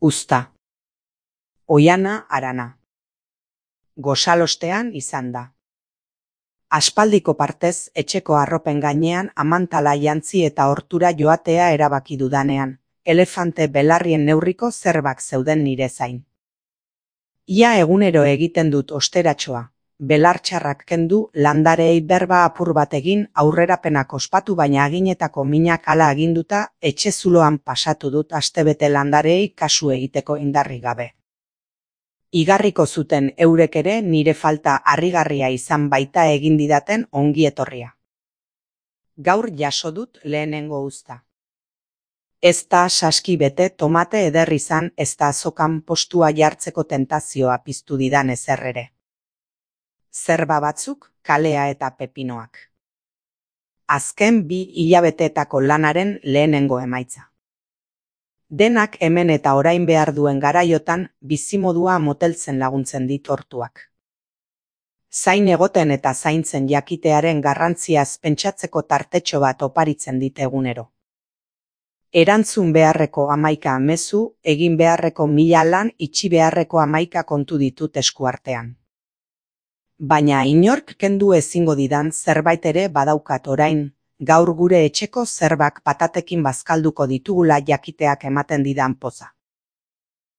Uzta. Oiana Arana. Gosalostean izan da. Aspaldiko partez etxeko arropen gainean amantala jantzi eta hortura joatea erabaki dudanean, elefante belarrien neurriko zerbak zeuden nire zain. Ia egunero egiten dut osteratxoa, belartxarrak kendu, landareei berba apur bat egin, aurrerapenak ospatu baina aginetako minak hala aginduta, etxe zuloan pasatu dut astebete landareei kasu egiteko indarrik gabe. Igarriko zuten eurek ere nire falta harrigarria izan baita egin didaten ongi etorria. Gaur jaso dut lehenengo uzta. Ez da saski bete tomate eder izan, ez da azokan postua jartzeko tentazioa piztu didan ezer ere. Zerba batzuk, kalea eta pepinoak. Azken 2 hilabeteetako lanaren lehenengo emaitza. Denak hemen eta orain behar duen garaiotan bizimodua moteltzen laguntzen dit hortuak. Zain egoten eta zaintzen jakitearen garrantziaz pentsatzeko tartetxo bat oparitzen dit egunero. Erantzun beharreko 11 mezu, egin beharreko 1000 lan, itxi beharreko 11 kontu ditut eskuartean. Baina inork kendu ezingo didan zerbait ere badaukat orain, gaur gure etxeko zerbak patatekin bazkalduko ditugula jakiteak ematen didan poza.